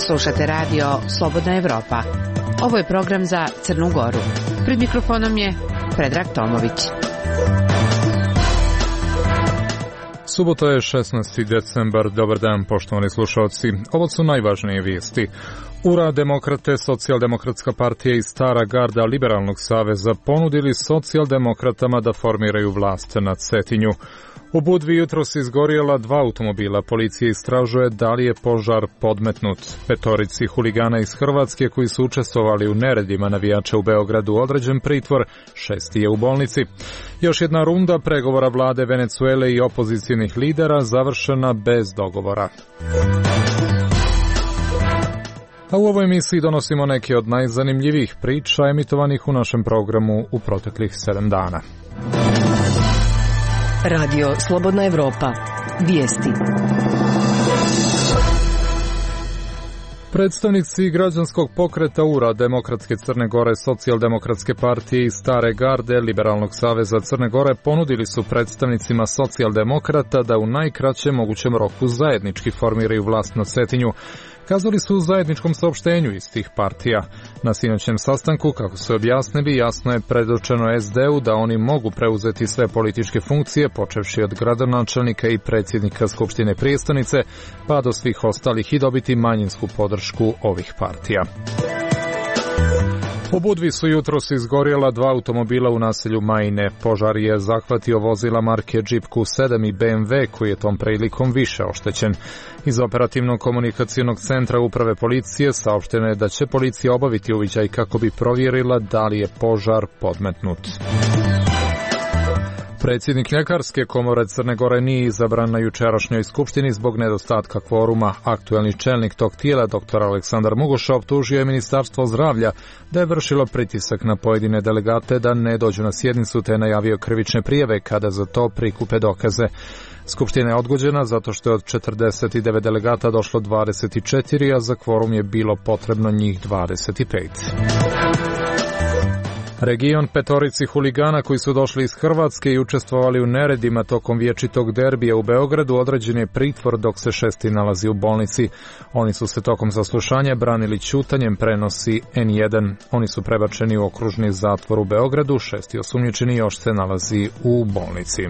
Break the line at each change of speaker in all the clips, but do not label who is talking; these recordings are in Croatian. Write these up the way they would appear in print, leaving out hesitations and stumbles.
Slušate radio Slobodna Evropa. Ovo je program za Crnu Goru. Pred mikrofonom je Predrag Tomović.
Subota je 16. decembar. Dobar dan, poštovani slušalci. Ovo su najvažnije vijesti. URA, Demokrate, Socijaldemokratska partija i Stara garda Liberalnog saveza ponudili socijaldemokratama da formiraju vlast na Cetinju. U Budvi jutros izgorjela 2 automobila. Policija istražuje da li je požar podmetnut. 5 huligana iz Hrvatske koji su učestvovali u neredima navijača u Beogradu određen pritvor, 6 je u bolnici. Još jedna runda pregovora vlade Venecuele i opozicijnih lidera završena bez dogovora. A u ovoj emisiji donosimo neke od najzanimljivijih priča emitovanih u našem programu u proteklih 7 dana.
Radio Slobodna Evropa. Vijesti.
Predstavnici građanskog pokreta URA, Demokratske Crne Gore, Socijaldemokratske partije i Stare garde Liberalnog saveza Crne Gore ponudili su predstavnicima socijaldemokrata da u najkraćem mogućem roku zajednički formiraju vlast na Cetinju. Kazali su u zajedničkom saopštenju iz tih partija. Na sinoćem sastanku, kako su objasnili, jasno je predočeno SD-u da oni mogu preuzeti sve političke funkcije, počevši od gradonačelnika i predsjednika Skupštine prijestonice, pa do svih ostalih i dobiti manjinsku podršku ovih partija. U Budvi su jutros izgorjela 2 automobila u naselju Majine. Požar je zahvatio vozila marke Jeep Q7 i BMW koji je tom prilikom više oštećen. Iz operativnog komunikacijnog centra uprave policije saopšteno je da će policija obaviti uviđaj kako bi provjerila da li je požar podmetnut. Predsjednik Ljekarske komore Crne Gore nije izabran na jučerašnjoj skupštini zbog nedostatka kvoruma. Aktuelni čelnik tog tijela, dr. Aleksandar Mugoša, optužio je Ministarstvo zdravlja da je vršilo pritisak na pojedine delegate da ne dođu na sjednicu te je najavio krivične prijave kada za to prikupe dokaze. Skupština je odgođena zato što je od 49 delegata došlo 24, a za kvorum je bilo potrebno njih 25. Region 5 huligana koji su došli iz Hrvatske i učestvovali u neredima tokom vječitog derbija u Beogradu određen je pritvor dok se 6 nalazi u bolnici. Oni su se tokom saslušanja branili ćutanjem, prenosi N1. Oni su prebačeni u okružni zatvor u Beogradu, 6 osumnjičeni još se nalazi u bolnici.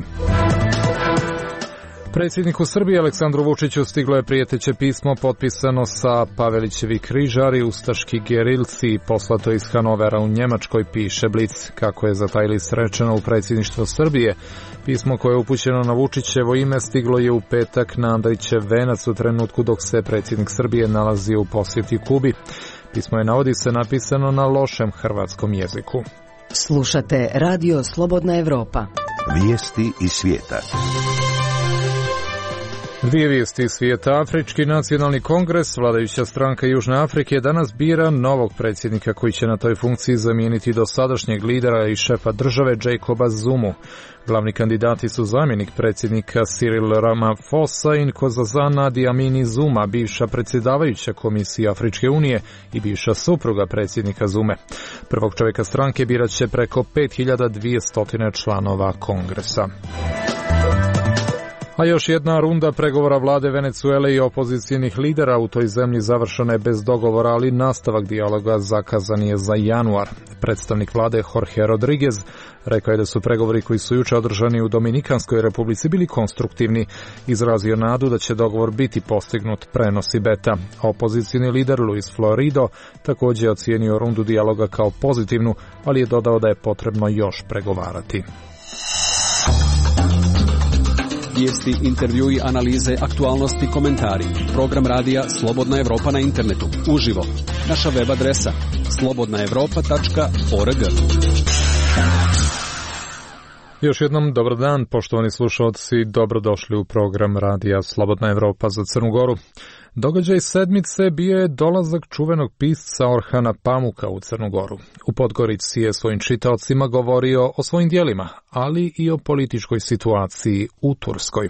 Predsjedniku Srbije Aleksandru Vučiću stiglo je prijeteće pismo potpisano sa Pavelićevi križari, ustaški gerilci, poslato iz Hanovera u Njemačkoj, piše Blic. Kako je za taj list rečeno u predsjedništvo Srbije, pismo koje je upućeno na Vučićevo ime stiglo je u petak na Andrićev venac u trenutku dok se predsjednik Srbije nalazi u posjeti Kubi. Pismo je, navodi se, napisano na lošem hrvatskom jeziku.
Slušate Radio Slobodna Evropa.
Vijesti iz svijeta.
2 vijesti iz svijeta. Afrički nacionalni kongres, vladajuća stranka Južne Afrike, danas bira novog predsjednika koji će na toj funkciji zamijeniti dosadašnjeg lidera i šefa države Jacoba Zumu. Glavni kandidati su zamjenik predsjednika Cyril Ramaphosa i Nkosazana Dlamini Zuma, bivša predsjedavajuća Komisije Afričke unije i bivša supruga predsjednika Zume. Prvog čovjeka stranke birat će preko 5200 članova kongresa. A još jedna runda pregovora vlade Venecuele i opozicijnih lidera u toj zemlji završena je bez dogovora, ali nastavak dijaloga zakazan je za januar. Predstavnik vlade Jorge Rodriguez rekao je da su pregovori koji su jučer održani u Dominikanskoj republici bili konstruktivni. Izrazio nadu da će dogovor biti postignut, prenosi Beta. Opozicijni lider Luis Florido također je ocijenio rundu dijaloga kao pozitivnu, ali je dodao da je potrebno još pregovarati.
Vijesti, intervjui, analize, aktualnosti, komentari. Program radija Slobodna Evropa na internetu. Uživo. Naša web adresa slobodnaevropa.org.
Još jednom dobar dan, poštovani slušalci, dobrodošli u program radija Slobodna Evropa za Crnu Goru. Događaj sedmice bio je dolazak čuvenog pisca Orhana Pamuka u Crnu Goru. U Podgorici je svojim čitaocima govorio o svojim djelima, ali i o političkoj situaciji u Turskoj.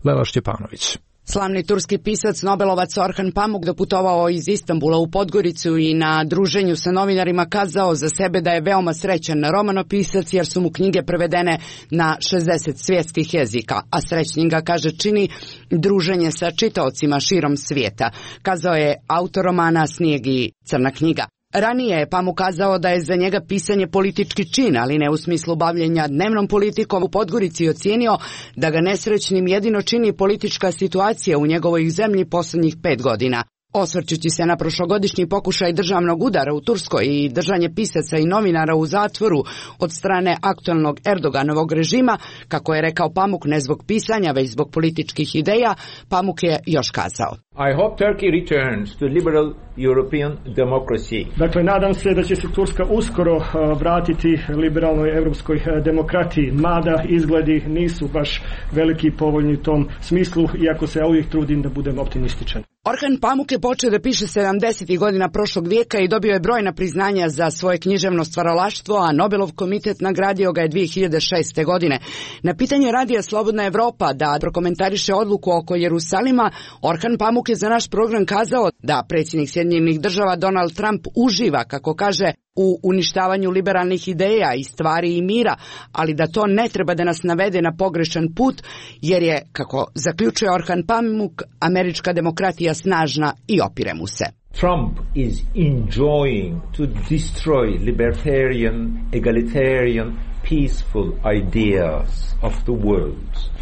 Lela Šćepanović.
Slavni turski pisac, nobelovac Orhan Pamuk doputovao iz Istanbula u Podgoricu i na druženju sa novinarima kazao za sebe da je veoma srećan romanopisac jer su mu knjige prevedene na 60 svjetskih jezika, a srećnim ga, kaže, čini druženje sa čitaocima širom svijeta, kazao je autor romana Snijeg i crna knjiga. Ranije je Pamuk kazao da je za njega pisanje politički čin, ali ne u smislu bavljenja dnevnom politikom. U Podgorici ocijenio da ga nesrećnim jedino čini politička situacija u njegovoj zemlji posljednjih 5 godina. Osvrćući se na prošlogodišnji pokušaj državnog udara u Turskoj i držanje pisaca i novinara u zatvoru od strane aktualnog Erdoganovog režima, kako je rekao Pamuk, ne zbog pisanja, već zbog političkih ideja, Pamuk je još kazao:
I hope Turkey returns to liberal European democracy.
Dakle, nadam se da će se Turska uskoro vratiti liberalnoj europskoj demokratiji, mada izgledi nisu baš veliki povoljni u tom smislu, iako se ja uvijek trudim da budem optimističan.
Orhan Pamuk je počeo da piše 70. godina prošlog vijeka i dobio je brojna priznanja za svoje književno stvaralaštvo, a Nobelov komitet nagradio ga je 2006. godine. Na pitanje radija Slobodna Evropa da prokomentariše odluku oko Jerusalima, Orhan Pamuk je za naš program kazao da predsjednik Sjedinjenih Država Donald Trump uživa, kako kaže, u uništavanju liberalnih ideja i stvari i mira, ali da to ne treba da nas navede na pogrešan put, jer je, kako zaključuje Orhan Pamuk, američka demokratija snažna i opire mu se.
Trump is enjoying to destroy libertarian, egalitarian, peaceful ideas of the world.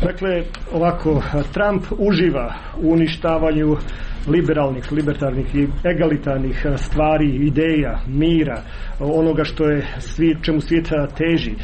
Dakle, ovako, Trump uživa u uništavanju libertarnih i egalitarnih stvari, ideja, mira, onoga što je čemu svijet teži.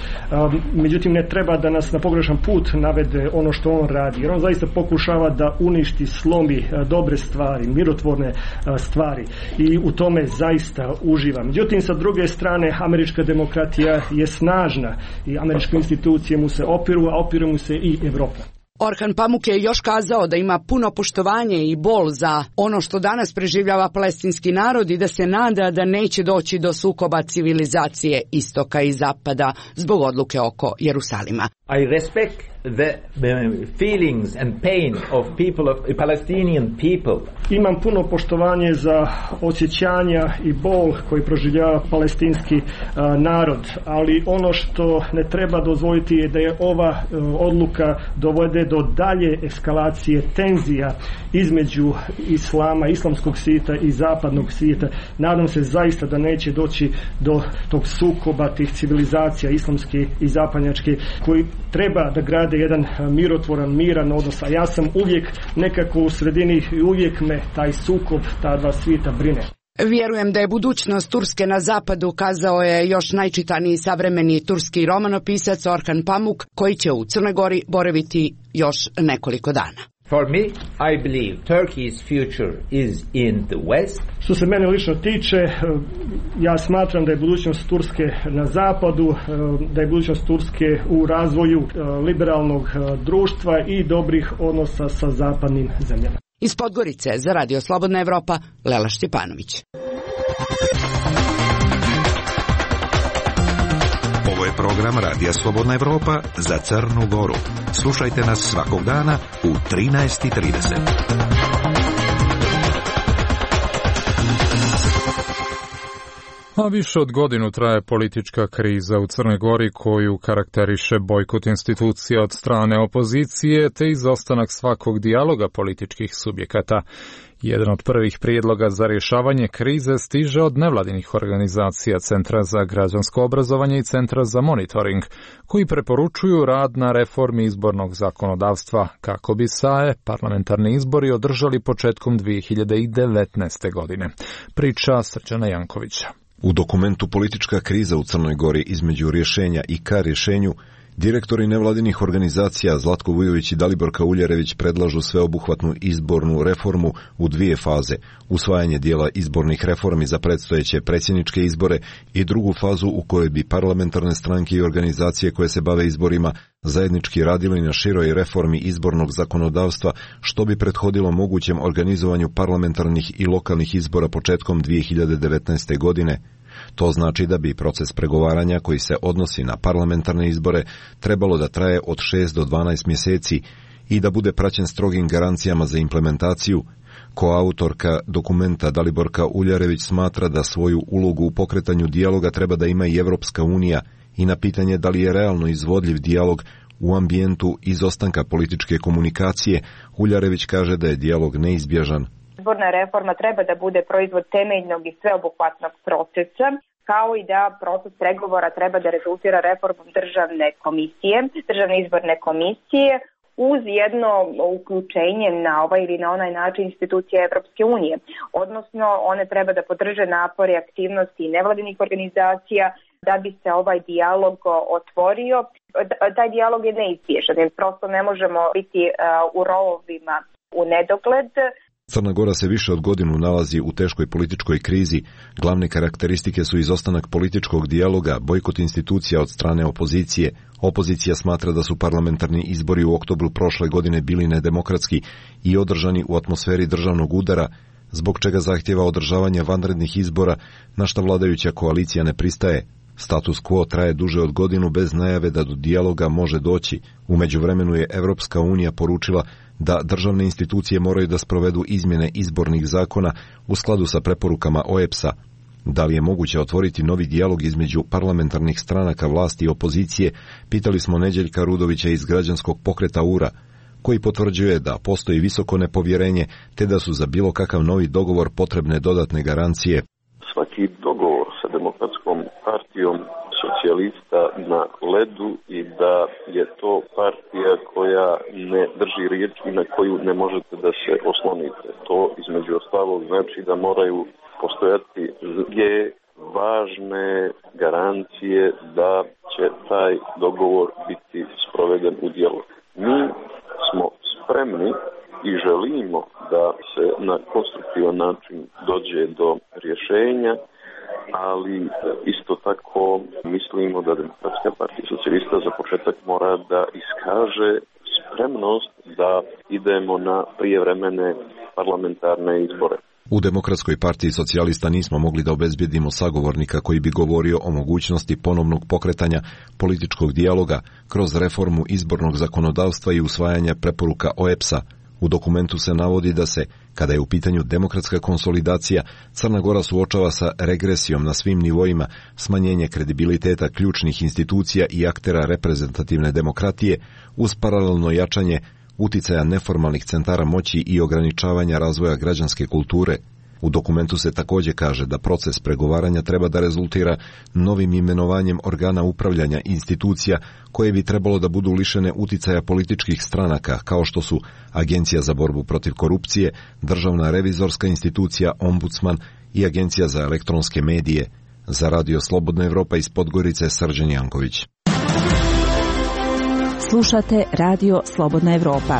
Međutim, ne treba da nas na pogrešan put navede ono što on radi, jer on zaista pokušava da uništi, slomi dobre stvari, mirotvorne stvari i u tome zaista uživa. Međutim, sa druge strane, američka demokratija je snažna i američke institucije mu se opiru, a opire mu se i Evropa.
Orhan Pamuk je još kazao da ima puno poštovanje i bol za ono što danas preživljava palestinski narod i da se nada da neće doći do sukoba civilizacije istoka i zapada zbog odluke oko Jerusalima.
I respect the feelings and pain of people, of Palestinian people.
Imam puno poštovanje za osjećanja i bol koji proživljava palestinski narod, ali ono što ne treba dozvoliti je da je ova odluka dovede do dalje eskalacije tenzija između islama, islamskog svijeta i zapadnog svijeta. Nadam se zaista da neće doći do tog sukoba tih civilizacija islamske i zapadnjačke koji treba da grade jedan mirotvoran, miran odnos, a ja sam uvijek nekako u sredini i uvijek me taj sukob, ta dva svijeta brine.
Vjerujem da je budućnost Turske na zapadu, kazao je još najčitaniji savremeni turski romanopisac Orhan Pamuk, koji će u Crnoj Gori boraviti još nekoliko dana.
For me, I believe Turkey's future is in the West.
Što se mene lično tiče, ja smatram da je budućnost Turske na zapadu, da je budućnost Turske u razvoju liberalnog društva i dobrih odnosa sa zapadnim zemljama.
Iz Podgorice za Radio Slobodna Evropa, Lela Štjepanović.
Ovo je program Radija Slobodna Evropa za Crnu Goru. Slušajte nas svakog dana u 13:30.
A više od godinu traje politička kriza u Crnoj Gori koju karakteriše bojkot institucija od strane opozicije te izostanak svakog dijaloga političkih subjekata. Jedan od prvih prijedloga za rješavanje krize stiže od nevladinih organizacija Centra za građansko obrazovanje i Centra za monitoring, koji preporučuju rad na reformi izbornog zakonodavstva kako bi se parlamentarni izbori održali početkom 2019. godine. Priča Srđana Jankovića.
U dokumentu Politička kriza u Crnoj Gori između rješenja i ka rješenju, direktori nevladinih organizacija Zlatko Vujović i Dalibor Kauljerević predlažu sveobuhvatnu izbornu reformu u 2 faze, usvajanje dijela izbornih reformi za predstojeće predsjedničke izbore i drugu fazu u kojoj bi parlamentarne stranke i organizacije koje se bave izborima zajednički radili na široj reformi izbornog zakonodavstva, što bi prethodilo mogućem organizovanju parlamentarnih i lokalnih izbora početkom 2019. godine. To znači da bi proces pregovaranja koji se odnosi na parlamentarne izbore trebalo da traje od 6 do 12 mjeseci, i da bude praćen strogim garancijama za implementaciju. Koautorka dokumenta Daliborka Uljarević smatra da svoju ulogu u pokretanju dijaloga treba da ima i Evropska unija i na pitanje da li je realno izvodljiv dijalog u ambijentu izostanka političke komunikacije, Uljarević kaže da je dijalog neizbježan.
Izborna reforma treba da bude proizvod temeljnog i sveobuhvatnog procesa, kao i da proces pregovora treba da rezultira reformom državne izborne komisije, uz jedno uključenje na ovaj ili na onaj način institucije Evropske unije. Odnosno, one treba da podrže napore, aktivnosti nevladinih organizacija da bi se ovaj dijalog otvorio. Taj dijalog je neizbježan, jer prosto ne možemo biti u rovovima u nedogled.
Crna Gora se više od godinu nalazi u teškoj političkoj krizi. Glavne karakteristike su izostanak političkog dijaloga, bojkot institucija od strane opozicije. Opozicija smatra da su parlamentarni izbori u oktobru prošle godine bili nedemokratski i održani u atmosferi državnog udara, zbog čega zahtjeva održavanje vanrednih izbora, na što vladajuća koalicija ne pristaje. Status quo traje duže od godinu bez najave da do dijaloga može doći. U međuvremenu je Evropska unija poručila da državne institucije moraju da sprovedu izmjene izbornih zakona u skladu sa preporukama OEBS-a. Da li je moguće otvoriti novi dijalog između parlamentarnih stranaka vlasti i opozicije, pitali smo Neđeljka Rudovića iz građanskog pokreta URA, koji potvrđuje da postoji visoko nepovjerenje te da su za bilo kakav novi dogovor potrebne dodatne garancije.
Svaki dogovor sa Demokratskom partijom socijalista na ledu i da je to partija koja ne drži riječ i na koju ne možete da se oslonite. To između ostalog znači da moraju postojati dvije važne garancije da će taj dogovor biti sproveden u djelo. Mi smo spremni i želimo da se na konstruktivan način dođe do rješenja, ali isto tako mislimo da Demokratska partija socijalista za početak mora da iskaže spremnost da idemo na prijevremene parlamentarne izbore.
U Demokratskoj partiji socijalista nismo mogli da obezbijedimo sagovornika koji bi govorio o mogućnosti ponovnog pokretanja političkog dijaloga kroz reformu izbornog zakonodavstva i usvajanja preporuka OEBS-a. U dokumentu se navodi da se, kada je u pitanju demokratska konsolidacija, Crna Gora suočava sa regresijom na svim nivoima, smanjenje kredibiliteta ključnih institucija i aktera reprezentativne demokratije, uz paralelno jačanje uticaja neformalnih centara moći i ograničavanja razvoja građanske kulture. U dokumentu se također kaže da proces pregovaranja treba da rezultira novim imenovanjem organa upravljanja institucija koje bi trebalo da budu lišene uticaja političkih stranaka, kao što su Agencija za borbu protiv korupcije, Državna revizorska institucija, Ombudsman i Agencija za elektronske medije. Za Radio Slobodna Evropa iz Podgorice, Srđan Janković.
Slušate Radio Slobodna Evropa.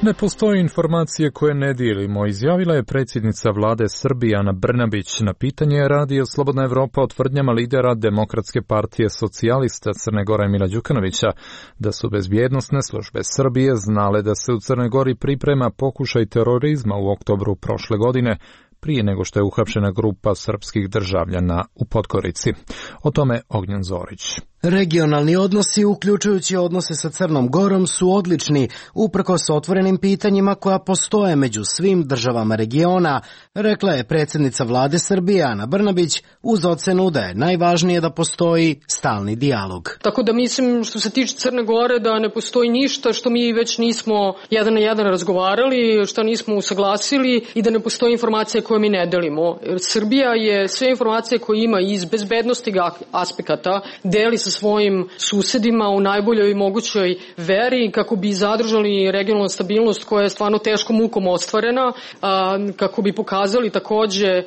Ne postoje informacije koje ne dijelimo, izjavila je predsjednica vlade Srbije Ana Brnabić na pitanje Radio Slobodna Evropa o tvrdnjama lidera Demokratske partije socijalista Crne Gore Mila Đukanovića da su bezbjednosne službe Srbije znale da se u Crnoj Gori priprema pokušaj terorizma u oktobru prošle godine, prije nego što je uhapšena grupa srpskih državljana u Podgorici. O tome Ognjen Zorić.
Regionalni odnosi, uključujući odnose sa Crnom Gorom, su odlični, uprkos otvorenim pitanjima koja postoje među svim državama regiona, rekla je predsjednica vlade Srbije Ana Brnabić, uz ocenu da je najvažnije da postoji stalni dijalog.
Tako da mislim, što se tiče Crne Gore, da ne postoji ništa što mi već nismo jedan na jedan razgovarali, što nismo usaglasili i da ne postoji informacija koje mi ne delimo. Srbija je sve informacije koje ima iz bezbednosti aspekata deli sa svojim susedima u najboljoj mogućoj veri kako bi zadržali regionalnu stabilnost koja je stvarno teškom mukom ostvarena, kako bi pokazali takođe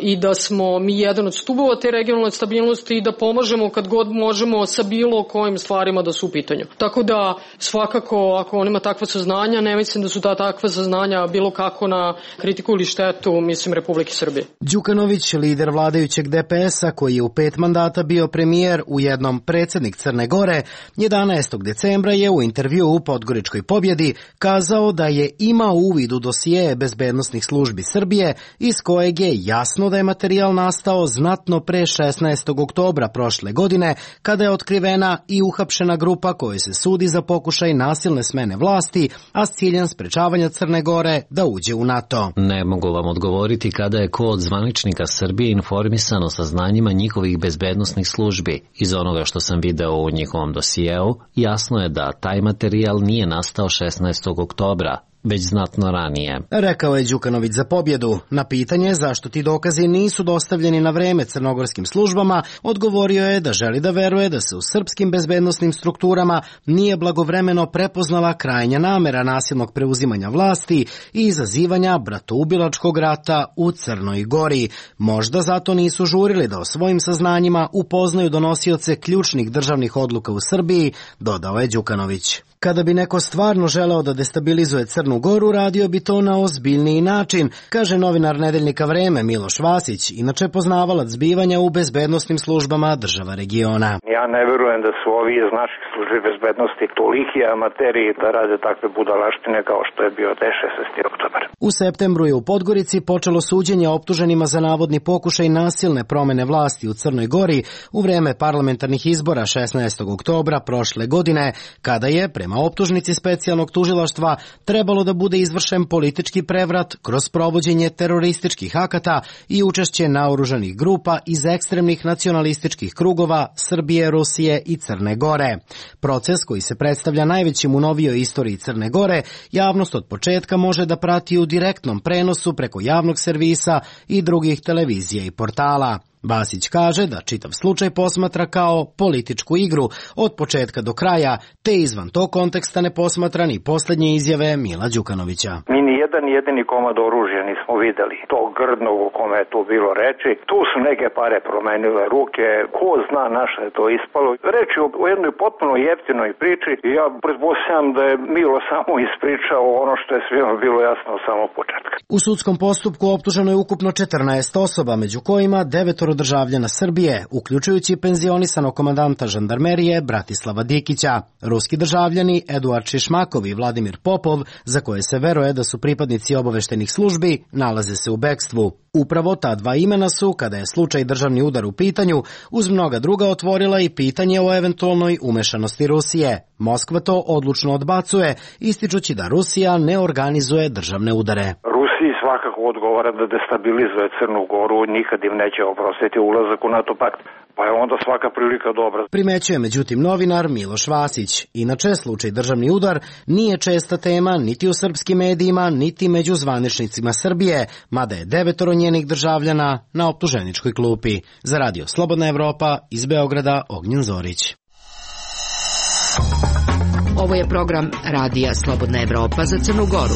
i da smo mi jedan od stubova te regionalne stabilnosti i da pomažemo kad god možemo sa bilo kojim stvarima da su u pitanju. Tako da svakako ako on ima takva saznanja, ne mislim da su takva saznanja bilo kako na kritiku ili štetu, mislim, Republike Srbije.
Đukanović, lider vladajućeg DPS-a koji je u 5 mandata bio premijer, u jednom predsjednik Crne Gore, 11. decembra je u intervju u Podgoričkoj Pobjedi kazao da je imao uvid u dosije bezbednosnih službi Srbije, iz kojeg je jasno da je materijal nastao znatno pre 16. oktobra prošle godine, kada je otkrivena i uhapšena grupa kojoj se sudi za pokušaj nasilne smene vlasti, a s ciljem sprečavanja Crne Gore da uđe u NATO.
Ne mogu vam odgovoriti kada je ko od zvaničnika Srbije informisano sa znanjima njihovih bezbednosnih službi. Iz onoga što sam video u njihovom dosijeu, jasno je da taj materijal nije nastao 16. oktobra, već znatno ranije.
Rekao je Đukanović za Pobjedu. Na pitanje zašto ti dokazi nisu dostavljeni na vreme crnogorskim službama, odgovorio je da želi da veruje da se u srpskim bezbednosnim strukturama nije blagovremeno prepoznala krajnja namera nasilnog preuzimanja vlasti i izazivanja bratoubilačkog rata u Crnoj Gori. Možda zato nisu žurili da o svojim saznanjima upoznaju donosioce ključnih državnih odluka u Srbiji, dodao je Đukanović. Kada bi neko stvarno želeo da destabilizuje Crnu Goru, radio bi to na ozbiljniji način, kaže novinar nedeljnika Vreme Miloš Vasić, inače poznavalac zbivanja u bezbednosnim službama država regiona.
Ja ne verujem da su ovi iz naših službi bezbednosti toliki amateri da rade takve budalaštine kao što je bio 16. oktobar.
U septembru je u Podgorici počelo suđenje optuženima za navodni pokušaj nasilne promene vlasti u Crnoj Gori u vreme parlamentarnih izbora 16. oktobra prošle godine, kada je, prema optužnici specijalnog tužilaštva, trebalo da bude izvršen politički prevrat kroz provođenje terorističkih akata i učešće naoružanih grupa iz ekstremnih nacionalističkih krugova Srbije, Rusije i Crne Gore. Proces koji se predstavlja najvećim u novijoj istoriji Crne Gore, javnost od početka može da prati u direktnom prenosu preko javnog servisa i drugih televizija i portala. Vasić kaže da čitav slučaj posmatra kao političku igru od početka do kraja, te izvan tog konteksta ne posmatra ni posljednje izjave Mila Đukanovića.
Mi ni jedan jedini komad oružja nismo videli. To grdnog o kome je tu bilo reči. Tu su neke pare promenile ruke. Ko zna na što je to ispalo. Reč je o jednoj potpuno jeftinoj priči i ja pretpostavljam da je Milo samo ispričao ono što je svima bilo jasno od samog početka.
U sudskom postupku optuženo je ukupno 14 osoba, među kojima 9 državljana Srbije, uključujući penzionisanog komandanta žandarmerije Bratislava Dikića. Ruski državljani Eduard Šišmakov i Vladimir Popov, za koje se veruje da su pripadnici obaveštenih službi, nalaze se u bekstvu. Upravo ta dva imena su, kada je slučaj državni udar u pitanju, uz mnoga druga otvorila i pitanje o eventualnoj umešanosti Rusije. Moskva to odlučno odbacuje, ističući da Rusija ne organizuje državne udare.
Rusiji svakako odgovara da destabilizuje Crnu Goru, nikad im neće oprostiti ulazak u NATO pakt, pa je onda svaka prilika dobra.
Primećuje međutim novinar Miloš Vasić. Inače, slučaj državni udar nije česta tema niti u srpskim medijima, niti među zvaničnicima Srbije, mada je 9 njenih državljana na optuženičkoj klupi. Za radio Slobodna Evropa, iz Beograda, Ognjen Zorić.
Ovo je program Radija Slobodna Evropa za Crnu Goru.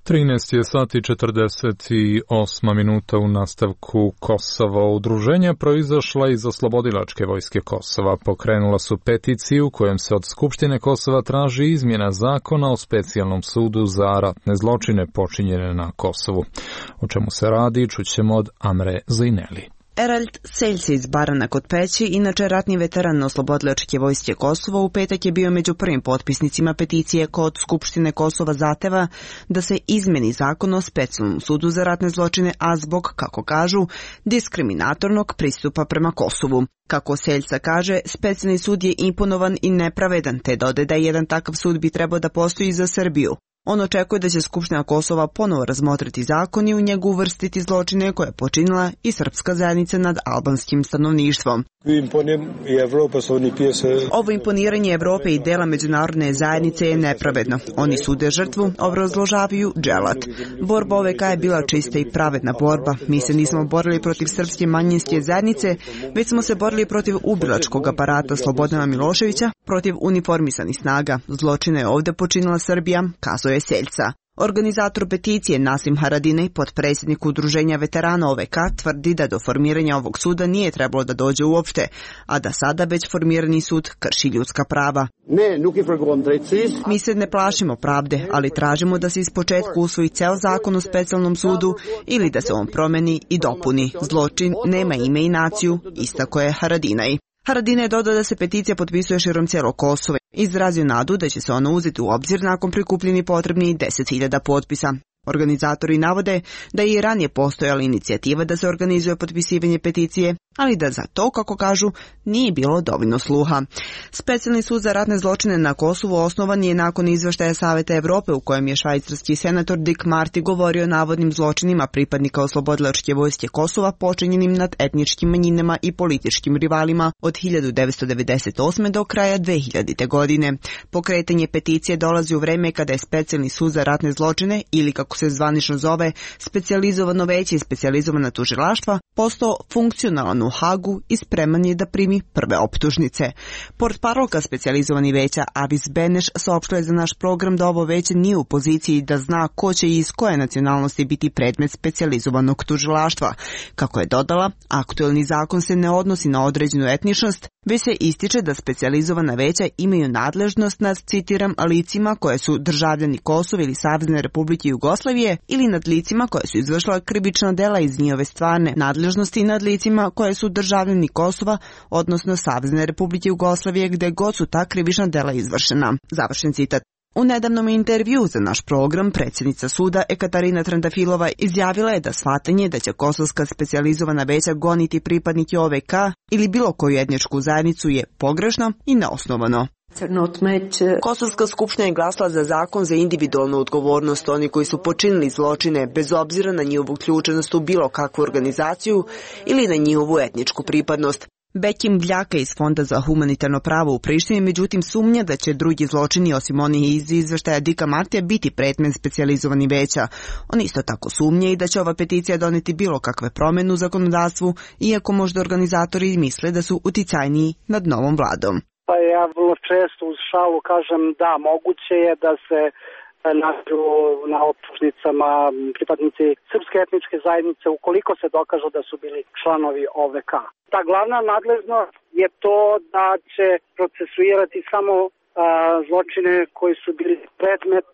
13 je sati 48 minuta u nastavku Kosovo. Udruženja proizašla iz Oslobodilačke vojske Kosova pokrenula su peticiju kojom se od Skupštine Kosova traži izmjena zakona o specijalnom sudu za ratne zločine počinjene na Kosovu. O čemu se radi, čućemo od Amre Zajneli.
Erald Seljci iz Barana kod Peći, inače ratni veteran Oslobodilačke vojske Kosova, u petak je bio među prvim potpisnicima peticije kod Skupštine Kosova zahteva da se izmeni zakon o specijalnom sudu za ratne zločine, a zbog, kako kažu, diskriminatornog pristupa prema Kosovu. Kako Seljca kaže, specijalni sud je imponovan i nepravedan, te dode da jedan takav sud bi trebao da postoji za Srbiju. On očekuje da će Skupština Kosova ponovo razmotriti zakon i u njegu uvrstiti zločine koje je počinila i srpska zajednica nad albanskim stanovništvom. Ovo imponiranje Evrope i dela međunarodne zajednice je nepravedno. Oni sude žrtvu, obrazložavaju Dželat. Borba OVK je bila čista i pravedna borba. Mi se nismo borili protiv srpske manjinske zajednice, već smo se borili protiv ubilačkog aparata Slobodana Miloševića, protiv uniformisanih snaga. Zločine je ovde počinila Srbija, kazao je Seljca. Organizator peticije Nasim Haradinaj, potpredsjednik Udruženja veterana OVK, tvrdi da do formiranja ovog suda nije trebalo da dođe uopšte, a da sada već formirani sud krši ljudska prava. Mi se ne plašimo pravde, ali tražimo da se ispočetka usvoji ceo zakon o specijalnom sudu ili da se on promeni i dopuni. Zločin nema ime i naciju, istako je Haradinaj. Haradinaj je dodao da se peticija potpisuje širom cijelog Kosova. Izrazio nadu da će se ona uzeti u obzir nakon prikupljeni potrebni 10.000 potpisa. Organizatori navode da je i ranije postojala inicijativa da se organizuje potpisivanje peticije, ali da za to, kako kažu, nije bilo dovoljno sluha. Specijalni sud za ratne zločine na Kosovu osnovan je nakon izveštaja Saveta Evrope u kojem je švajcarski senator Dick Marty govorio o navodnim zločinima pripadnika oslobodilačke vojske Kosova počinjenim nad etničkim manjinama i političkim rivalima od 1998. do kraja 2000. godine. Pokretanje peticije dolazi u vreme kada je Specijalni sud za ratne zločine, ili kako se zvanično zove, specijalizovano veće i specijalizovana tužilaštva, postao funkcionalan u Hagu i spreman je da primi prve optužnice. Portparolka specijalizovani veća Avis Beneš saopštila je za naš program da ovo veće nije u poziciji da zna ko će i iz koje nacionalnosti biti predmet specijalizovanog tužilaštva. Kako je dodala, aktuelni zakon se ne odnosi na određenu etničnost, već se ističe da specijalizovana veća imaju nadležnost nad, citiram, licima koje su državljani Kosova ili Savezne Republike Jugoslavije ili nad licima koje su izvršila krivična dela iz njihove stvarne nadležnosti i nad licima koje su državljani Kosova, odnosno Savezne Republike Jugoslavije gde god su ta krivična dela izvršena. Završen citat. U nedavnom intervju za naš program predsjednica suda Ekaterina Trandafilova izjavila je da shvatanje da će kosovska specijalizovana veća goniti pripadnike OVK ili bilo koju etničku zajednicu je pogrešno i neosnovano. Kosovska skupština je glasala za zakon za individualnu odgovornost oni koji su počinili zločine bez obzira na njihovu uključenost u bilo kakvu organizaciju ili na njihovu etničku pripadnost. Bekim Bljaka iz Fonda za humanitarno pravo u Prištini međutim sumnja da će drugi zločini osim onih iz izveštaja Dika Martija biti predmet specijalizovani veća. On isto tako sumnja i da će ova peticija doneti bilo kakve promjene u zakonodavstvu, iako možda organizatori misle da su uticajniji nad novom vladom.
Pa ja vrlo često uz šalu kažem da moguće je da se nađu na optužnicama pripadnici srpske etničke zajednice ukoliko se dokažu da su bili članovi OVK. Ta glavna nadležnost je to da će procesuirati samo zločine koji su bili predmet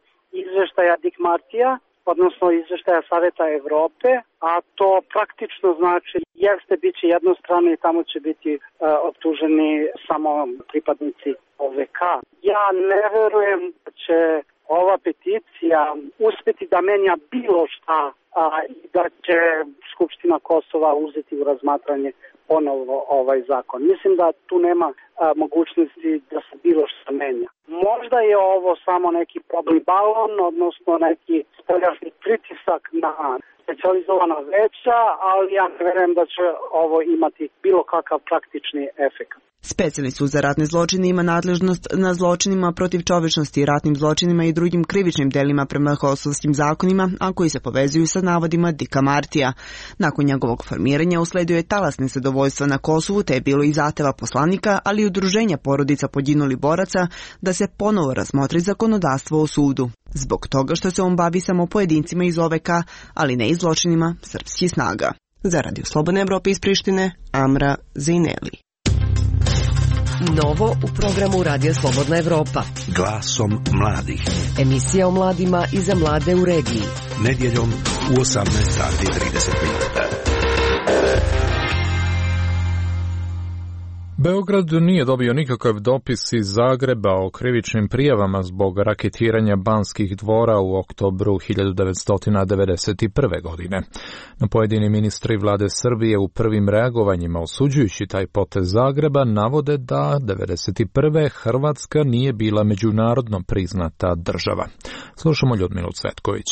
izveštaja Dick Martija, odnosno izveštaja Saveta Evrope, a to praktično znači jeste biće jednostrano i tamo će biti optuženi samo pripadnici OVK. Ja ne verujem da će ova peticija uspeti da menja bilo šta i da će Skupština Kosova uzeti u razmatranje ponovo ovaj zakon. Mislim da tu nema mogućnosti da se bilo šta menja. Možda je ovo samo neki probni balon, odnosno neki spoljašnji pritisak na specijalizovana veća, ali ja ne verujem da će ovo imati bilo kakav praktični efekt.
Specijalni sud za ratne zločine ima nadležnost na zločinima protiv čovečnosti, ratnim zločinima i drugim krivičnim delima prema kosovskim zakonima, a koji se povezuju sa navodima Dika Martija. Nakon njegovog formiranja usledio je talas nezadovoljstva na Kosovu, te je bilo i zahteva poslanika, ali i udruženja porodica poginulih boraca da se ponovo razmotri zakonodavstvo o sudu. Zbog toga što se on bavi samo pojedincima iz OVK, ali ne i zločinima srpskih snaga. Za Radio Slobodne Evrope iz Prištine, Amra Zejneli.
Novo u programu Radija Slobodna Evropa.
Glasom mladih.
Emisija o mladima i za mlade u regiji.
Nedjeljom u 18:30.
Beograd nije dobio nikakav dopis iz Zagreba o krivičnim prijavama zbog raketiranja Banskih dvora u oktobru 1991. godine. No pojedini ministri vlade Srbije u prvim reagovanjima osuđujući taj potez Zagreba navode da 1991. Hrvatska nije bila međunarodno priznata država. Slušamo Ljudmilu Cvetković.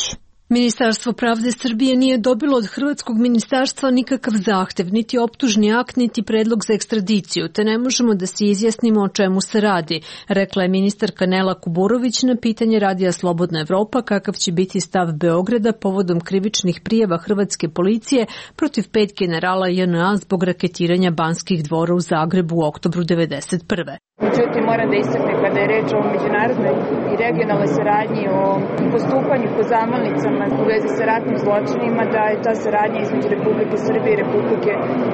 Ministarstvo pravde Srbije nije dobilo od Hrvatskog ministarstva nikakav zahtev, niti optužni akt, niti predlog za ekstradiciju, te ne možemo da se izjasnimo o čemu se radi, rekla je ministarka Nela Kuburović na pitanje Radija Slobodna Evropa kakav će biti stav Beograda povodom krivičnih prijava hrvatske policije protiv 5 generala JNA zbog raketiranja Banskih dvora u Zagrebu u oktobru 1991.
Međutim, moram da istaknem kada je reč o međunarodnoj i regionalnoj saradnji, o postupanju po zamolnicama u vezi sa ratnim zločinima, da je ta saradnja između Republike Srbije i Republike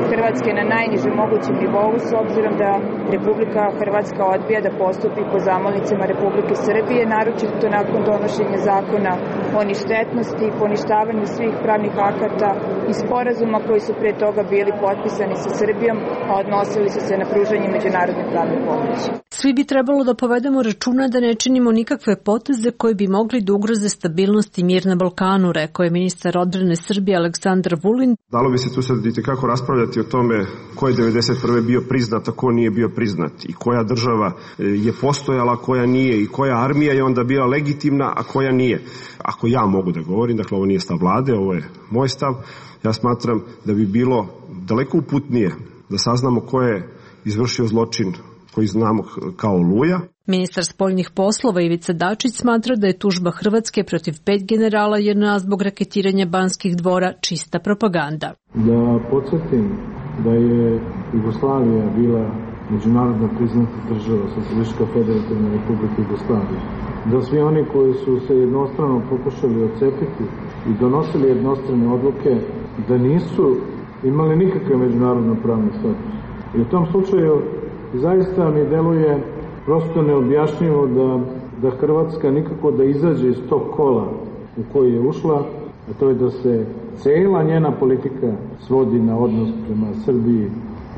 Hrvatske na najnižem mogućem nivou, s obzirom da Republika Hrvatska odbija da postupi po zamolnicama Republike Srbije, naročito nakon donošenja zakona o ništetnosti, poništavanju svih pravnih akata i sporazuma koji su pre toga bili potpisani sa Srbijom, a odnosili su se na pružanje međunarodne pravne pomoći.
Svi bi trebalo da povedemo računa da ne činimo nikakve poteze koji bi mogli da ugroze stabilnost i mir na Balkanu, rekao je ministar odbrane Srbije Aleksandar Vulin.
Dalo bi se tu sad itekako raspravljati o tome ko je 1991. bio priznat, a ko nije bio priznat i koja država je postojala, koja nije i koja armija je onda bila legitimna, a koja nije. Ako ja mogu da govorim, dakle ovo nije stav vlade, ovo je moj stav, ja smatram da bi bilo daleko uputnije da saznamo ko je izvršio zločin koji znamo kao Oluja.
Ministar spoljnih poslova Ivica Dačić smatra da je tužba Hrvatske protiv 5 generala JNA zbog raketiranja Banskih dvora čista propaganda.
Da podsjetim da je Jugoslavija bila međunarodno priznata država, Socijalistička federativna republika Jugoslavija. Da svi oni koji su se jednostrano pokušali odcepiti i donosili jednostrane odluke, da nisu imali nikakve međunarodno pravne status. I u tom slučaju zaista mi deluje prosto neobjašnjivo da Hrvatska nikako da izađe iz tog kola u koji je ušla, a to je da se cela njena politika svodi na odnos prema Srbiji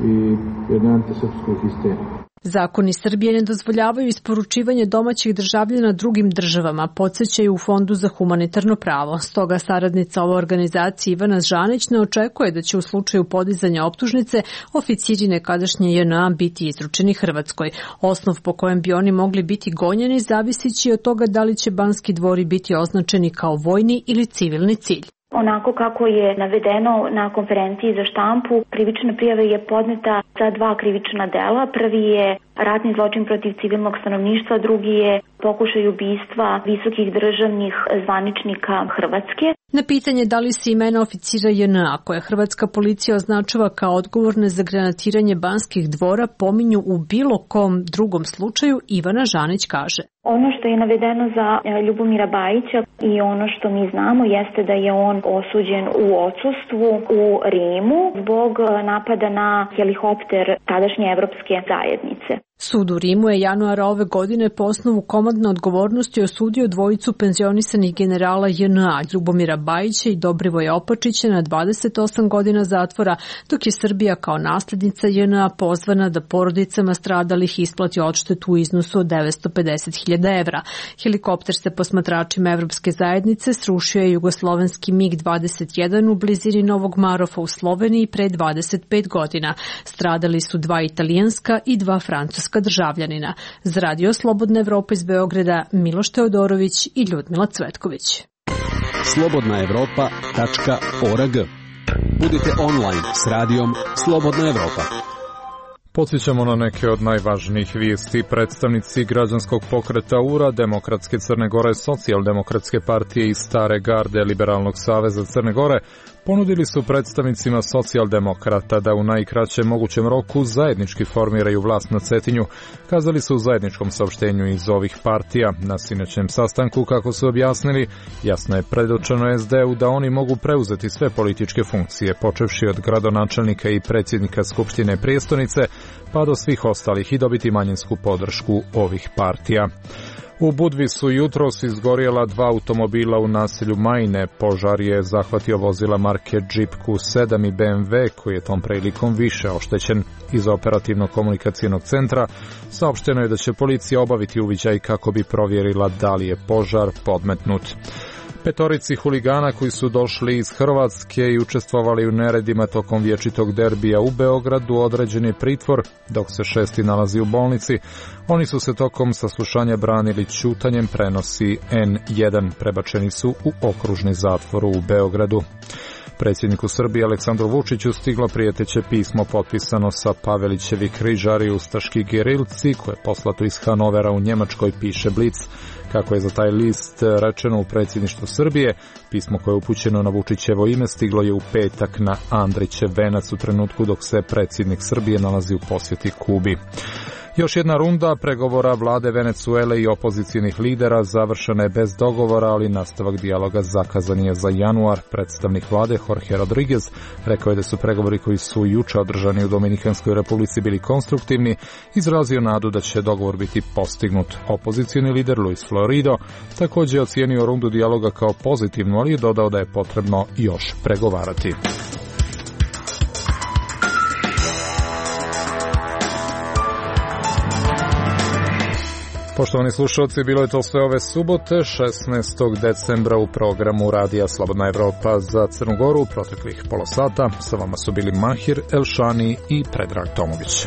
i jednoj antisrpskoj histeriji.
Zakoni Srbije ne dozvoljavaju isporučivanje domaćih državljana drugim državama, podsjećaju u Fondu za humanitarno pravo. Stoga saradnica ove organizacije Ivana Žanić ne očekuje da će u slučaju podizanja optužnice oficiri nekadašnje JNA biti izručeni Hrvatskoj. Osnov po kojem bi oni mogli biti gonjeni zavisići od toga da li će Banski dvori biti označeni kao vojni ili civilni cilj.
Onako kako je navedeno na konferenciji za štampu, krivična prijava je podneta za 2 krivična dela. Prvi je ratni zločin protiv civilnog stanovništva, drugi je pokušaj ubistva visokih državnih zvaničnika Hrvatske.
Na pitanje da li se imena oficira JNA, koje hrvatska policija označava kao odgovorne za granatiranje Banskih dvora, pominju u bilo kom drugom slučaju, Ivana Žanić kaže.
Ono što je navedeno za Ljubomira Bajića i ono što mi znamo jeste da je on osuđen u odsustvu u Rimu zbog napada na helikopter tadašnje evropske zajednice.
Sud u Rimu je januara ove godine po osnovu komandne odgovornosti osudio dvojicu penzionisanih generala JNA, Ljubomira Bajića i Dobrivoja Opačića na 28 godina zatvora, dok je Srbija kao naslednica JNA pozvana da porodicama stradalih isplati odštetu u iznosu od 950.000 evra. Helikopter se posmatračima Evropske zajednice srušio je jugoslovenski MiG-21 u blizini Novog Marofa u Sloveniji pre 25 godina. Stradali su 2 italijanska i 2 francuska državljanina. Za Radio Slobodna Evropa iz Beograda, Miloš Teodorović i Ljudmila Cvetković.
slobodnaevropa.org. Budite online s radijom Slobodna Evropa.
Podsjećamo na neke od najvažnijih vijesti. Predstavnici građanskog pokreta URA, Demokratske Crne Gore, Socijaldemokratske partije i Stare garde Liberalnog saveza Crne Gore ponudili su predstavnicima socijaldemokrata da u najkraćem mogućem roku zajednički formiraju vlast na Cetinju, kazali su u zajedničkom saopštenju iz ovih partija. Na sinoćnjem sastanku, kako su objasnili, jasno je predočeno SD-u da oni mogu preuzeti sve političke funkcije, počevši od gradonačelnika i predsjednika Skupštine prijestolnice, pa do svih ostalih i dobiti manjinsku podršku ovih partija. U Budvi su jutros izgorjela 2 automobila u naselju Majne. Požar je zahvatio vozila marke Jeep Q7 i BMW, koji je tom prilikom više oštećen. Iz operativno-komunikacijnog centra saopšteno je da će policija obaviti uviđaj kako bi provjerila da li je požar podmetnut. 5 huligana koji su došli iz Hrvatske i učestvovali u neredima tokom vječitog derbija u Beogradu određen je pritvor, dok se 6. nalazi u bolnici. Oni su se tokom saslušanja branili ćutanjem, prenosi N1. Prebačeni su u okružni zatvor u Beogradu. Predsjedniku Srbije Aleksandru Vučiću stiglo prijeteće pismo potpisano sa Pavelićevi križari ustaški gerilci, koje je poslato iz Hanovera u Njemačkoj, piše Blic. Kako je za taj list rečeno u predsjedništvu Srbije, pismo koje je upućeno na Vučićevo ime stiglo je u petak na Andrićev venac u trenutku dok se predsjednik Srbije nalazi u posjeti Kubi. Još jedna runda pregovora vlade Venecuele i opozicijnih lidera završena je bez dogovora, ali nastavak dijaloga zakazan je za januar. Predstavnik vlade Jorge Rodriguez rekao je da su pregovori koji su juče održani u Dominikanskoj republici bili konstruktivni, izrazio nadu da će dogovor biti postignut. Opozicijni lider Luis Florido također je ocijenio rundu dijaloga kao pozitivnu, ali je dodao da je potrebno još pregovarati. Poštovani slušalci, bilo je to sve ove subote, 16. decembra u programu Radija Slobodna Evropa za Crnu Goru. Proteklih pola sata sa vama su bili Mahir Elšani i Predrag Tomović.